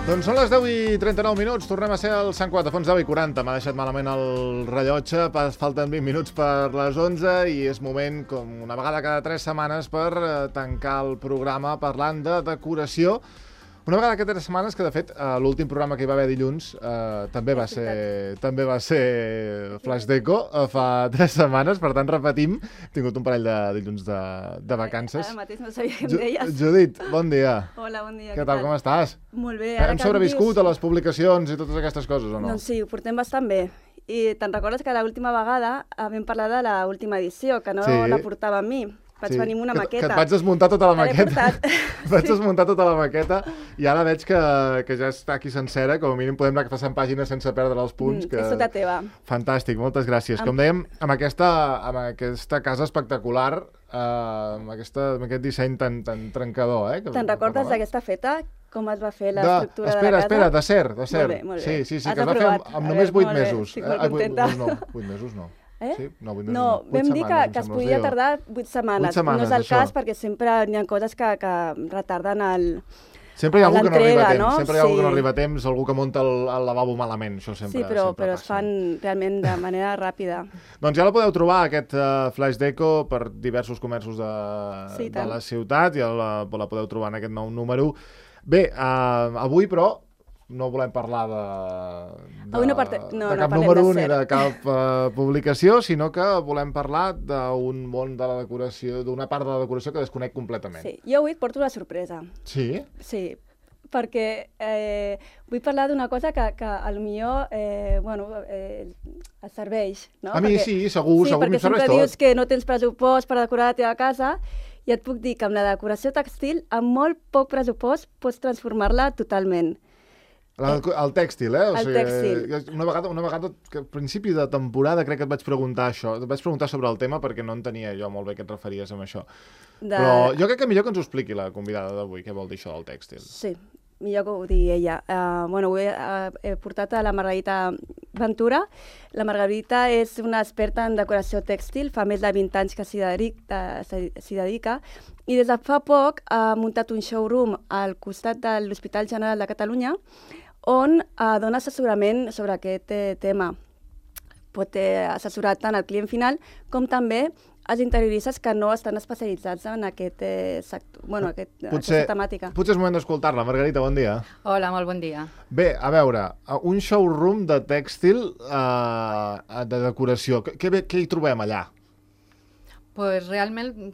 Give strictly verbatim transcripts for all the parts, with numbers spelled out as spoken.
Doncs són les deu i trenta-nou minuts, tornem a ser al Sant Cugat, a fons deu i quaranta. M'ha deixat malament el rellotge, falten vint minuts per les onze i és moment, com una vegada cada tres setmanes, per tancar el programa parlant de decoració. Una vegada cada tres setmanes, que de fet l'últim programa que hi va haver dilluns eh, també va ser també va ser Flash Deco, eh, fa tres setmanes, per tant repetim. He tingut un parell de dilluns de, de vacances. Ara mateix no sabia què em deies. Judit, bon dia. Hola, bon dia. Què tal, com estàs? Molt bé. Hem sobreviscut a les publicacions i totes aquestes coses, o no? Doncs sí, ho portem bastant bé. I te'n recordes que l'última vegada vam parlar de l'última edició, que no sí. la portava amb mi. Vaig venir amb una que, maqueta. Que et vaig desmuntar tota la maqueta. vaig sí. desmuntar tota la maqueta i ara veig que, que ja està aquí sencera. Com a mínim podem anar passant pàgines sense perdre els punts. Mm, que... És tota teva. Fantàstic, moltes gràcies. Am... Com dèiem, amb aquesta, amb aquesta casa espectacular, eh, amb, aquesta, amb aquest disseny tan, tan trencador. Eh, Te'n recordes d'aquesta feta? Com es va fer l'estructura de, de la casa? Espera, espera, d'acer, d'acer. Molt bé, molt bé. Sí, sí, sí, Has que es va aprovat. fer amb, amb només vuit mesos. Estic molt contenta. Eh, no, vuit mesos no. Eh? Sí? No, vuit mesos no, no. vam dir que, que es podia tardar vuit setmanes. vuit setmanes. No és el això. cas perquè sempre hi ha coses que, que retarden el... Sempre hi ha algú que no arriba a temps, no? sempre hi ha algú sí. que no arriba a temps, algú que munta el, el lavabo malament, això sempre Sí, però, sempre però passa. es fan realment de manera ràpida. Doncs ja la podeu trobar, aquest uh, Flash Deco, per diversos comerços de, sí, de la ciutat, ja la, la podeu trobar en aquest nou número. Bé, uh, avui, però, no volem parlar de, de, avui no parte... no, de cap no número de ni de cap uh, publicació, sinó que volem parlar d'un món de la decoració, d'una part de la decoració que desconec completament. Sí, jo avui et porto una sorpresa. Sí? Sí, perquè eh, vull parlar d'una cosa que, que potser eh, bueno, eh, et serveix. No? A mi perquè, sí, segur, sí, segur que em serveix tot. Sí, perquè sempre dius que no tens pressupost per decorar la teva casa, i et puc dir que amb la decoració textil, amb molt poc pressupost, pots transformar-la totalment. La, el tèxtil, eh? O el sigui, tèxtil. Una vegada, una vegada, que al principi de temporada crec que et vaig preguntar això, et vaig preguntar sobre el tema perquè no entenia jo molt bé què et referies amb això. De... Però jo crec que millor que ens ho expliqui la convidada d'avui, què vol dir això del tèxtil. Sí, millor que ho digui ella. Uh, bueno, ho he, uh, he portat a la Margarita Ventura. La Margarita és una experta en decoració tèxtil, fa més de vint anys que s'hi dedica, s'hi dedica, i des de fa poc ha muntat un showroom al costat de l'Hospital General de Catalunya, on eh, dona assessorament sobre aquest eh, tema. Pot eh, assessorar tant al client final com també als interioristes que no estan especialitzats en aquest, eh, sector, bueno, aquest, potser, aquesta temàtica. Potser és moment d'escoltar-la. Margarita, bon dia. Hola, molt bon dia. Bé, a veure, un showroom de tèxtil eh, de decoració. Què, què hi trobem allà? Pues realment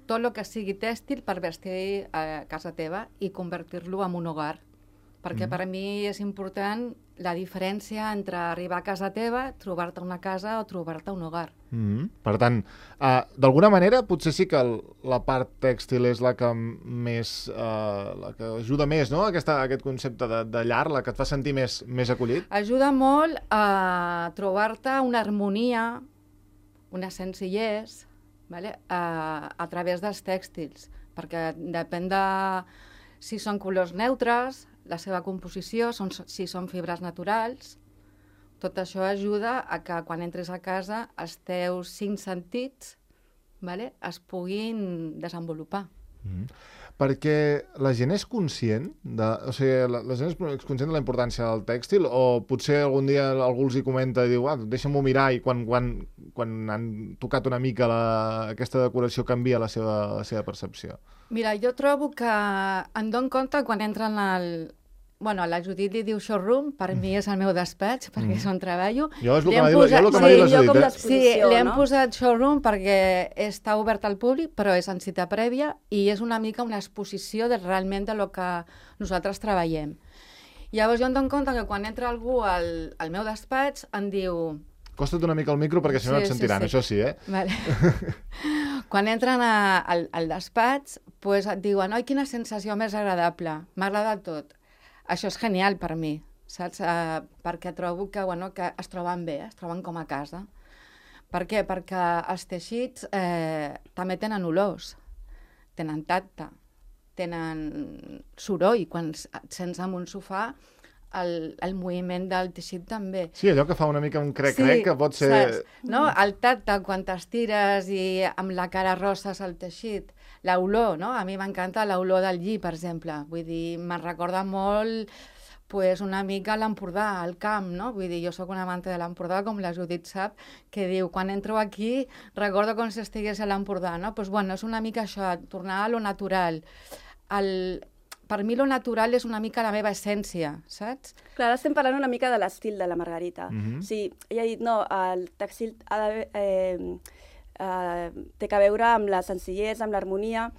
tot el que sigui tèxtil per vestir a casa teva i convertir-lo en un hogar. Perquè mm. per mi és important la diferència entre arribar a casa teva, trobar-te una casa o trobar-te un hogar. Mm. Per tant, uh, d'alguna manera, potser sí que el, la part tèxtil és la que més, uh, la que ajuda més, no?, Aquesta, aquest concepte de, de llar, la que et fa sentir més, més acollit. Ajuda molt a trobar-te una harmonia, una senzillesa, vale? a, a través dels tèxtils, perquè depèn de si són colors neutres, la seva composició, són, si són fibres naturals. Tot això ajuda a que quan entres a casa els teus cinc sentits, vale, es puguin desenvolupar. Mm. Perquè la gent és conscient de, o sigui, la, la gent és conscient de la importància del tèxtil, o potser algun dia algú els hi comenta i diu, ah, deixa'm-ho mirar, i quan, quan, quan han tocat una mica la, aquesta decoració canvia la seva, la seva percepció? Mira, jo trobo que em dono compte quan entren al... Bueno, la Judit li diu showroom, per mi és el meu despatx, perquè és on treballo. Jo és el que m'ha dit, jo el que m'ha dit la Judit, eh? Sí, li hem posat showroom perquè està obert al públic, però és en cita prèvia i és una mica una exposició de realment de lo que nosaltres treballem. Llavors jo em dono compte que quan entra algú al, al meu despatx em diu... Costa't una mica el micro perquè si no sí, et sentiran, sí, sí. això sí, eh? Vale. Quan entren a, al, al despatx, pues et diuen, oi, quina sensació més agradable, m'ha agradat tot. Això és genial per mi, saps? Uh, perquè trobo que, bueno, que es troben bé, es troben com a casa. Per què? Perquè els teixits eh, també tenen olors, tenen tacte, tenen soroll. Quan et sents en un sofà, el, el moviment del teixit també. Sí, allò que fa una mica un crec-crec, sí, que pot ser... Saps? No? El tacte, quan t'estires i amb la cara rosses el teixit, l'olor, no? A mi m'encanta l'olor del lli, per exemple. Vull dir, me'n recorda molt pues una mica a l'Empordà, al camp, no? Vull dir, jo sóc una amante de l'Empordà, com la Judit sap, que diu, quan entro aquí, recordo com si estigués a l'Empordà, no? Doncs, bueno, és una mica això, tornar a lo natural. El... Per mi lo natural és una mica la meva essència, saps? Clar, ara estem parlant una mica de l'estil de la Margarita. Mhm. O sigui, ella ha dit, no, el tèxtil ha de, eh, eh, té que veure amb la senzillesa, amb l'harmonia.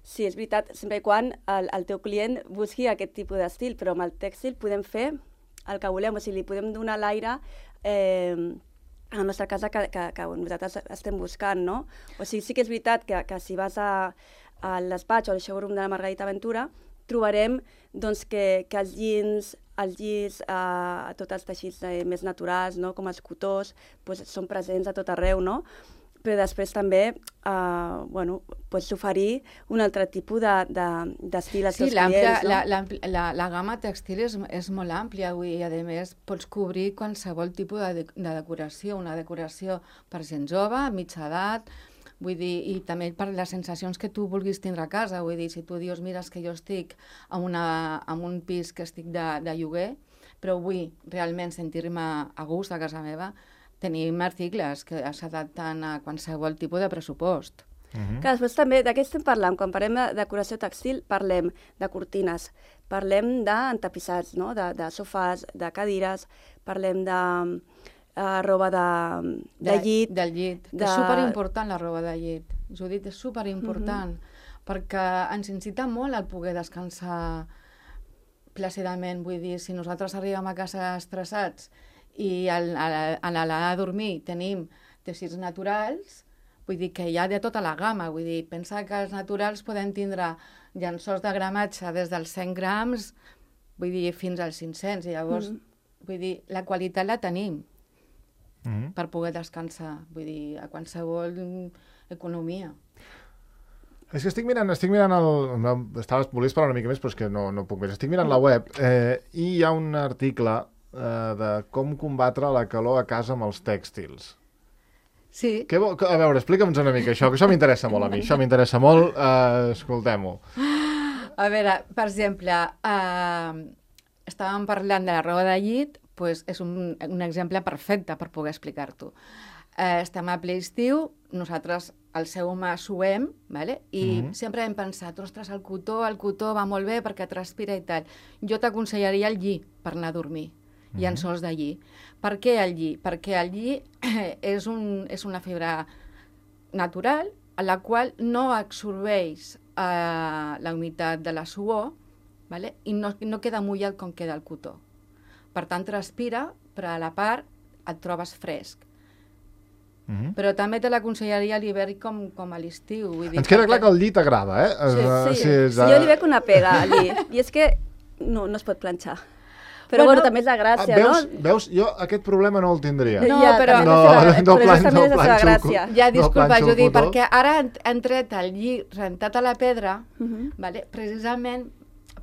Sí, és veritat, sempre i quan el, el teu client busqui aquest tipus d'estil, però amb el tèxtil podem fer el que volem, o sigui, li podem donar l'aire eh, a la nostra casa que, que, que nosaltres estem buscant, no? O sigui, sí que és veritat que, que si vas a, a despatx o al showroom de la Margarita Ventura, trobarem doncs, que, que els jeans, els llis, eh, tots els teixits eh, més naturals, no? Com els cotós, doncs, són presents a tot arreu, no? Però després també eh, bueno, pots oferir un altre tipus d'estil de, de, als sí, teus clients. No? La, la, la, la gamma textil és, és molt àmplia avui i, a més, pots cobrir qualsevol tipus de, de decoració, una decoració per gent jove, mitja edat, vull dir, i també per les sensacions que tu vulguis tindre a casa. Vull dir, si tu dius, mira, que jo estic en, una, en un pis que estic de, de lloguer, però vull realment sentir-me a gust a casa meva, tenim articles que s'adapten a qualsevol tipus de pressupost. Mhm. Que després també, de què estem parlant? Quan parlem de decoració textil, parlem de cortines, parlem d'entapissats, no? de, de sofàs, de cadires, parlem de uh, roba de, de, de llit. Del llit. De... És superimportant la roba de llit. Judit, és superimportant, mm-hmm. perquè ens incita molt al poder descansar plàcidament. Vull dir, si nosaltres arribem a casa estressats i al, a, a l'anar a dormir tenim teixits naturals, vull dir que hi ha de tota la gamma, vull dir, pensa que els naturals poden tindre llençols de gramatge des dels cent grams, vull dir, fins als cinc-cents, i llavors, mm. vull dir, la qualitat la tenim mm. per poder descansar, vull dir, a qualsevol economia. És que estic mirant, estic mirant el... No, estava, volies parlar una mica més, però és que no, no puc més. Estic mirant la web eh, i hi ha un article Uh, de com combatre la calor a casa amb els tèxtils. Sí. Què vol... A veure, explica'ns una mica això, que això m'interessa molt a mi, això m'interessa molt, uh, escoltem-ho. A veure, per exemple, uh, estàvem parlant de la roba de llit, pues és un, un exemple perfecte per poder explicar-t'ho. Uh, estem a ple estiu, nosaltres al seu home suem, vale? I mm-hmm. sempre hem pensat, ostres, el cotó, el cotó va molt bé perquè transpira i tal. Jo t'aconsellaria el lli per anar a dormir. I en sols de lli. Per què el lli? Perquè el lli és, un, és una fibra natural a la qual no absorbeix eh, la humitat de la suor, vale? I no, no queda mullat com queda el cotó. Per tant, transpira, però a la part et trobes fresc. Mm-hmm. Però també te l'aconsellaria a l'hivern com, com a l'estiu. Vull dir, ens queda perquè... clar que el lli t'agrada, eh? Sí, sí. sí, és, sí, jo li veig una pega al lli, i és que no, no es pot planxar. Però bueno, bueno, també és la gràcia, veus, no? Veus, jo aquest problema no el tindria. No, ja, però... No, la, no, però plan, no és la seva gràcia. Ja, disculpa, no Judit, cotó. perquè ara han tret el lli rentat a la pedra, Uh-huh. vale? Precisament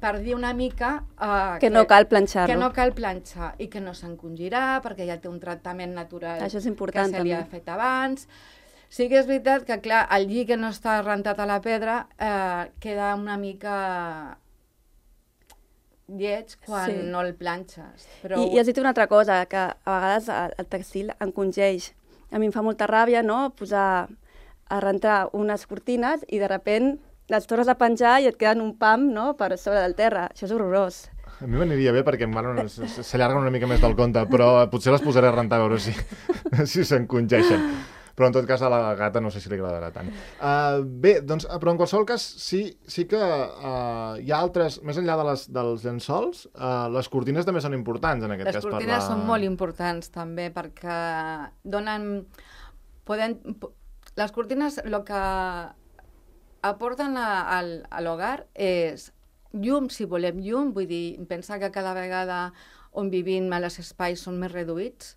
per dir una mica... Uh, que no cal planxar-lo. Que no cal planxar i que no s'encongirà, perquè ja té un tractament natural. Això és important, que se li ha també. fet abans. Sí que és veritat que, clar, el lli que no està rentat a la pedra eh, queda una mica lleig quan Sí. no el planxes. Però... I, I has dit una altra cosa, que a vegades el, el textil encongeix. A mi em fa molta ràbia, no?, posar a rentar unes cortines i de sobte les tornes a penjar i et queden un pam, no?, per sobre del terra. Això és horrorós. A mi m'aniria bé perquè bueno, s'allarguen una mica més del compte, però potser les posaré a rentar a veure si, si s'encongeixen. Però en tot cas a la gata no sé si li agradarà tant. Uh, bé, doncs, però en qualsevol cas sí, sí que uh, hi ha altres, més enllà de les, dels llençols, uh, les cortines també són importants en aquest les cas. Les cortines per la... són molt importants també perquè donen... Poden, les cortines el que aporten a, a, a l'hogar és llum, si volem llum, vull dir, pensar que cada vegada on vivim els espais són més reduïts,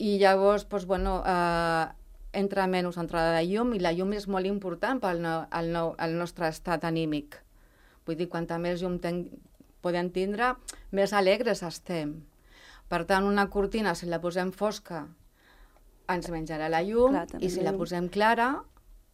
i llavors, doncs, bueno, eh, entra menys entrada de llum, i la llum és molt important pel no, el no, el nostre estat anímic. Vull dir, quanta més llum ten, podem tindre, més alegres estem. Per tant, una cortina, si la posem fosca, ens menjarà la llum, Clar, i si la posem clara,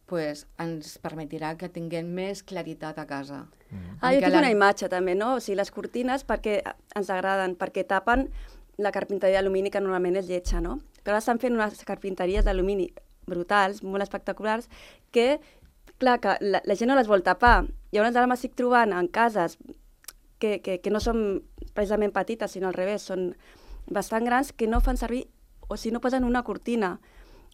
pues, ens permetirà que tinguem més claritat a casa. Mm. Ah, jo tinc la... una imatge també, no? O sigui, les cortines perquè ens agraden, perquè tapen la carpinteria d'alumini que normalment és lletja, no? Però ara estan fent unes carpinteries d'alumini brutals, molt espectaculars, que, clar, que la, la gent no les vol tapar. Llavors ara m'estic trobant en cases que, que, que no són precisament petites, sinó al revés, són bastant grans, que no fan servir, o sigui, no posen una cortina.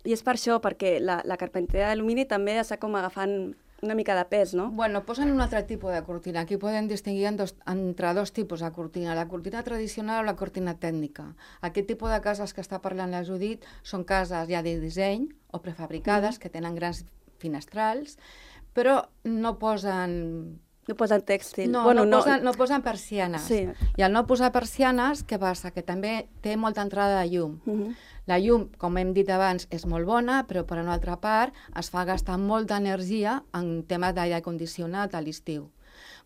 I és per això, perquè la, la carpinteria d'alumini també està com agafant una mica de pes, no? Bueno, posen un altre tipus de cortina. Aquí podem distingir en dos, entre dos tipus de cortina, la cortina tradicional o la cortina tècnica. Aquest tipus de cases que està parlant la Judit són cases ja de disseny o prefabricades, mm. que tenen grans finestrals, però no posen... No posen tèxtil. No, bueno, no, posen, no posen persianes. Sí. I al no posar persianes, què passa? Que també té molta entrada de llum. Uh -huh. La llum, com hem dit abans, és molt bona, però per una altra part es fa gastar molta energia en temes d'aire condicionat a l'estiu.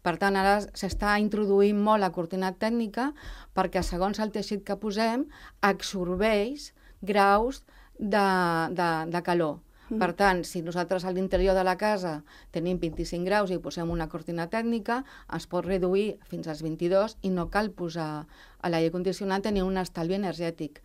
Per tant, ara s'està introduint molt la cortina tècnica perquè segons el teixit que posem absorbeix graus de, de, de calor. Per tant, si nosaltres a l'interior de la casa tenim vint-i-cinc graus i posem una cortina tècnica, es pot reduir fins als vint-i-dos i no cal posar a l'aire condicionat, tenir un estalvi energètic.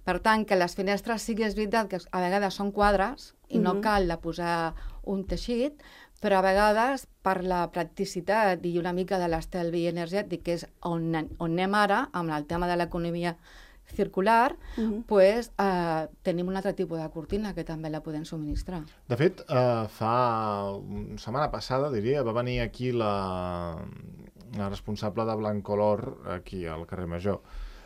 Per tant, que les finestres sí que és veritat que a vegades són quadres i no cal de posar un teixit, però a vegades per la practicitat i una mica de l'estalvi energètic, que és on, on anem ara, amb el tema de l'economia circular, uh-huh. pues, eh, tenim un altre tipus de cortina que també la podem subministrar. De fet, eh, fa una setmana passada, diria, va venir aquí la, la responsable de Blancolor, aquí al carrer Major,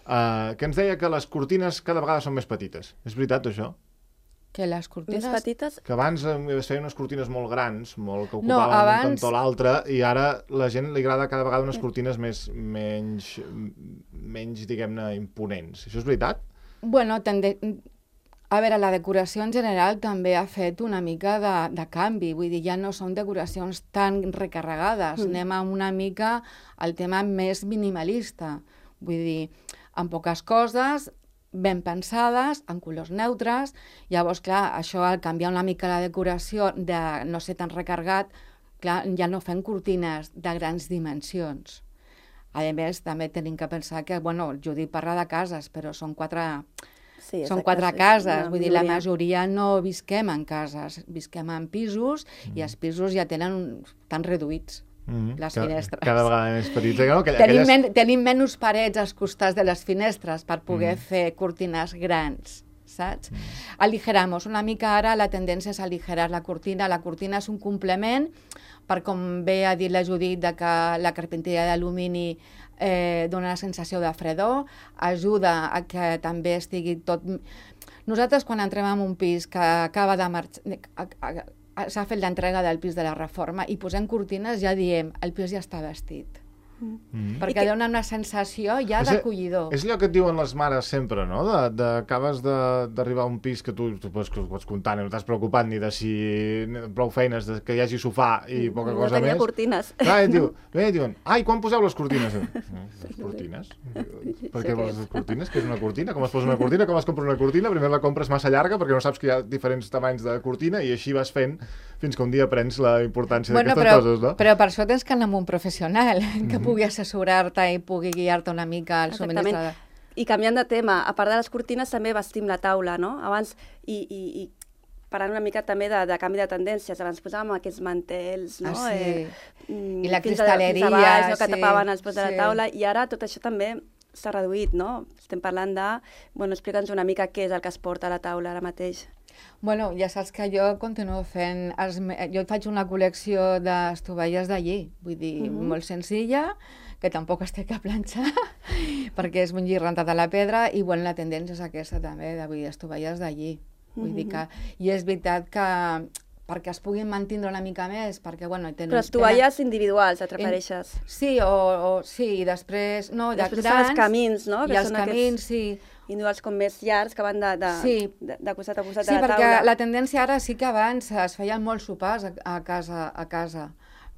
eh, que ens deia que les cortines cada vegada són més petites. És veritat, això? Que les cortines... Més petites? Que abans es feien unes cortines molt grans, molt que ocupaven no, abans... un cantó a l'altre, i ara la gent li agrada cada vegada unes cortines més, menys, menys diguem-ne, imponents. Això és veritat? Bueno, tende... a veure, la decoració en general també ha fet una mica de, de canvi, vull dir, ja no són decoracions tan recarregades, mm. anem a una mica al tema més minimalista, vull dir, amb poques coses, ben pensades, en colors neutres. Llavors, clar, això al canviar una mica la decoració de no ser tan recargat, clar, ja no fem cortines de grans dimensions. A més, també tenim que pensar que, bueno, Judit parla de cases, però són quatre, sí, són quatre cases, vull dir, la majoria no visquem en cases, visquem en pisos mm. i els pisos ja tenen tan reduïts. Mm-hmm. Les cada, finestres. Cada vegada més petits. No? Aquelles... Tenim, men tenim menys parets als costats de les finestres per poder mm. fer cortines grans, saps? Mm. Aligeramos. Una mica ara la tendència és aligerar la cortina. La cortina és un complement per, com bé ha dit la Judit, de que la carpinteria d'alumini eh, dona la sensació de fredor, ajuda a que també estigui tot... Nosaltres, quan entrem en un pis que acaba de marxar... s'ha fet l'entrega del pis de la reforma i posem cortines, ja diem, el pis ja està vestit. Mm. Perquè que... dona una sensació ja d'acollidor. És allò que et diuen les mares sempre, no? De, de, acabes d'arribar a un pis que tu, tu pots, pots comptar, no t'has preocupat ni de si prou feines, de que hi hagi sofà i poca no cosa més. No tenia cortines. Clar, et diu, bé, et diuen, ai, quan poseu les cortines? Les cortines? Per què vols les cortines? Què és una cortina? Com es posa una cortina? Com es compra una cortina? Primer la compres massa llarga perquè no saps que hi ha diferents tamanys de cortina i així vas fent fins que un dia aprens la importància bueno, d'aquestes però, coses, no? Però per això tens que anar amb un professional que mm-hmm. pugui assessorar-te i pugui guiar-te una mica al subministrador. I canviant de tema, a part de les cortines també vestim la taula, no? Abans, i, i, i parlant una mica també de, de canvi de tendències, abans posàvem aquests mantels, no? Ah, sí. Eh, I la cristalleria, fins a baix, no? Que sí. tapaven els pots de la sí. taula, i ara tot això també s'ha reduït, no? Estem parlant de... Bueno, explica'ns una mica què és el que es porta a la taula ara mateix. Bueno, ja saps que jo continuo fent... Els, jo faig una col·lecció d'estovelles d'allí, vull dir, uh-huh. molt senzilla, que tampoc es té que planxar, perquè és un lli rentat a la pedra, i bueno, la tendència és aquesta també, de, vull dir, estovelles d'allí. Vull uh-huh. dir que... I és veritat que perquè es puguin mantenir una mica més, perquè, bueno... Tenen, Però estovelles tenen... individuals, et refereixes? En... Sí, o, o sí, i després... No, de després grans, els camins, no? I que els camins, sí. Individuals com més llargs, que van de, de, sí. de, de costat a costat sí, de la taula. Sí, perquè la tendència ara sí que abans es feien molts sopars a, a, casa, a casa,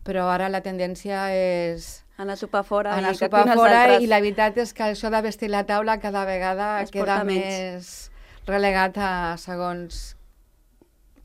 però ara la tendència és... Anar a sopar fora. Anar a sopar fora, i la veritat és que això de vestir la taula cada vegada es queda més relegat a segons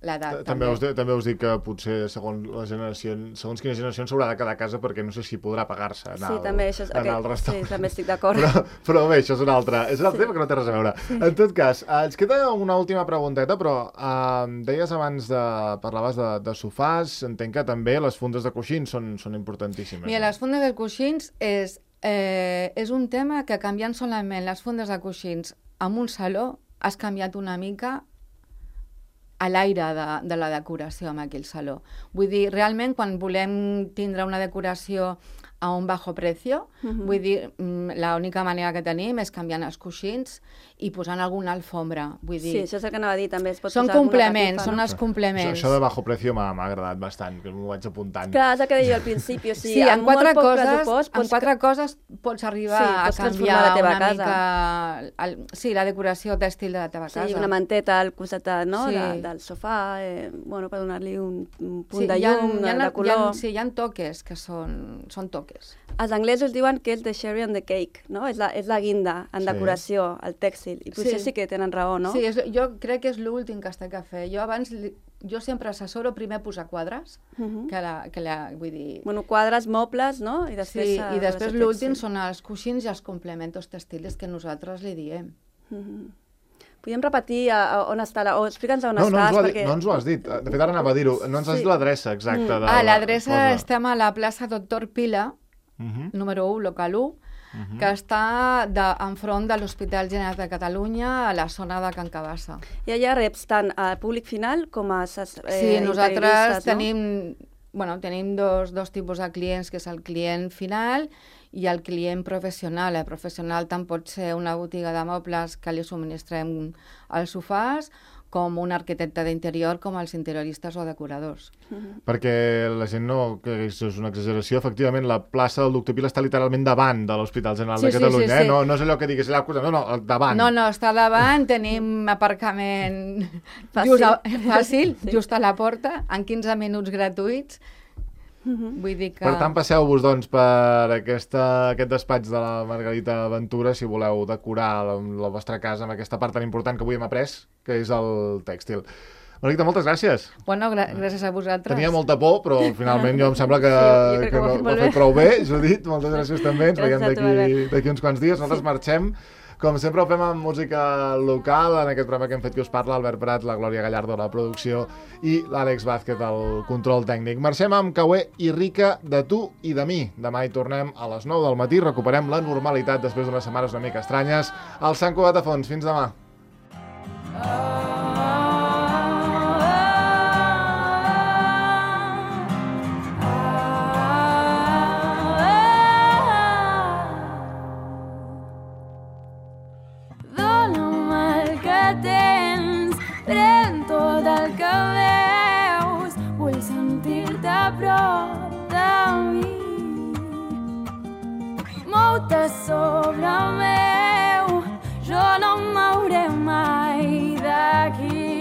l'edat. També us, també us dic que potser segons la generació, segons quina generació s'haurà de quedar a casa perquè no sé si podrà pagar-se anar, sí, al, també, això és, anar okay. al restaurant. Sí, també estic d'acord. Però, però bé, això és un altre, és un altre sí. tema que no té res a veure. Sí. En tot cas, eh, ens queda una última pregunteta, però eh, deies abans de... parlaves de, de sofàs, entenc que també les fundes de coixins són, són importantíssimes. Mira, les fundes de coixins és, eh, és un tema que canviant solament les fundes de coixins en un saló has canviat una mica a l'aire de, de la decoració en aquell saló. Vull dir, realment, quan volem tindre una decoració a un bajo precio, uh-huh. vull dir, l'única manera que tenim és canviant els coixins i posant alguna alfombra. Vull dir, sí, això és el que anava a dir, també es pot són posar complements, catifa, són no? els complements. Això, això de bajo precio m'ha agradat bastant, que m'ho vaig apuntant. Clar, és el que deia al principi, o sigui, sí, amb en quatre, molt poc coses, pressupost... en quatre que... coses pots arribar sí, pots a canviar la teva una casa. mica... El, sí, la decoració tèxtil de la teva sí, casa. Sí, una manteta al costat no? sí. de, del sofà, eh, bueno, per donar-li un, un punt sí, de llum, ha, de, de color. Hi ha, sí, hi ha toques que són, són toques. Els anglesos diuen que és the cherry on the cake, no? És la, és la guinda en sí. decoració, el tèxtil. I potser sí, sí que tenen raó, no? Sí, és, jo crec que és l'últim que has de fer. Jo abans, jo sempre assessoro primer posar quadres, uh-huh. que, la, que la, vull dir... Bueno, quadres, mobles, no? I després, sí, i després l'últim sí. són els coixins i els complementos textiles que nosaltres li diem. Uh-huh. Podríem repetir a, a on està, la, o explica'ns on no, estàs. No, perquè... no ens ho has dit. De fet, ara anava a dir-ho. No ens has sí. dit l'adreça exacta. Mm. Ah, l'adreça estem a la plaça Doctor Pila, uh-huh. número u, local u, uh-huh. que està de, enfront de l'Hospital General de Catalunya, a la zona de Can Cabassa. I allà reps tant al públic final com a eh, sí, nosaltres tenim, no? bueno, tenim dos, dos tipus de clients, que és el client final i el client professional. El professional tant pot ser una botiga de mobles que li subministrem als sofàs, com un arquitecte d'interior, com els interioristes o decoradors. Uh-huh. Perquè la gent no, que és una exageració, efectivament, la plaça del Doctor Pila està literalment davant de l'Hospital General sí, de Catalunya, sí, sí, eh? sí. No, no és allò que digues allà al costat, no, no, davant. No, no, està davant, tenim aparcament fàcil, just a, fàcil sí. just a la porta, en quinze minuts gratuïts. Uh-huh. Vull dir que... Per tant, passeu-vos doncs, per aquesta, aquest despatx de la Margarita Ventura si voleu decorar la, la vostra casa amb aquesta part tan important que avui hem après, que és el tèxtil. Margarita, moltes gràcies. Bueno, gra gràcies a vosaltres. Tenia molta por, però finalment jo em sembla que, sí, que, que no, ho ha fet prou bé, Judit. Moltes gràcies també. Ens veiem d'aquí uns quants dies. Nosaltres sí. marxem. Com sempre ho fem amb música local, en aquest programa que hem fet que us parla, Albert Prat, la Glòria Gallardo a la producció i l'Àlex Vázquez al control tècnic. Marxem amb Caué i Rica, de tu i de mi. Demà hi tornem a les nou del matí, recuperem la normalitat després d'unes setmanes una mica estranyes. Al Sant Cugat de Fons, fins demà. Pren tot el que veus, vull sentir-te a prop de mi. Mou-te sobre meu, jo no em mouré mai d'aquí.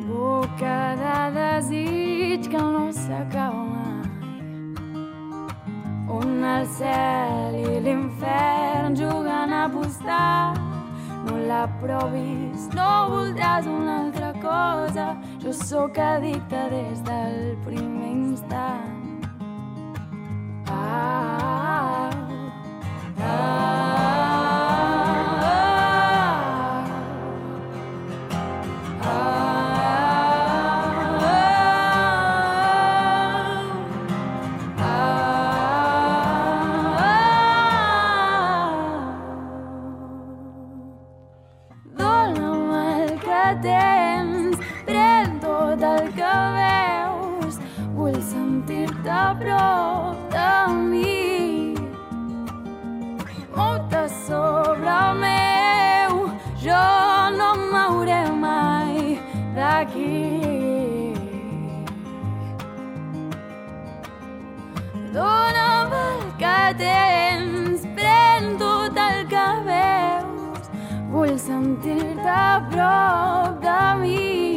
Boca de desig que no s'acaba mai, on el cel i l'infern juguen a apostar. No la provis, no voldràs una altra cosa. Jo sóc addicte des del primer instant. Ah, ah, ah, tens, pren tot el que veus, vull sentir-te a prop de mi. Mou-te sobre meu, jo no em mouré mai d'aquí. Dóna'm el que tens, pren tot el que veus, vull sentir-te a prop de mi.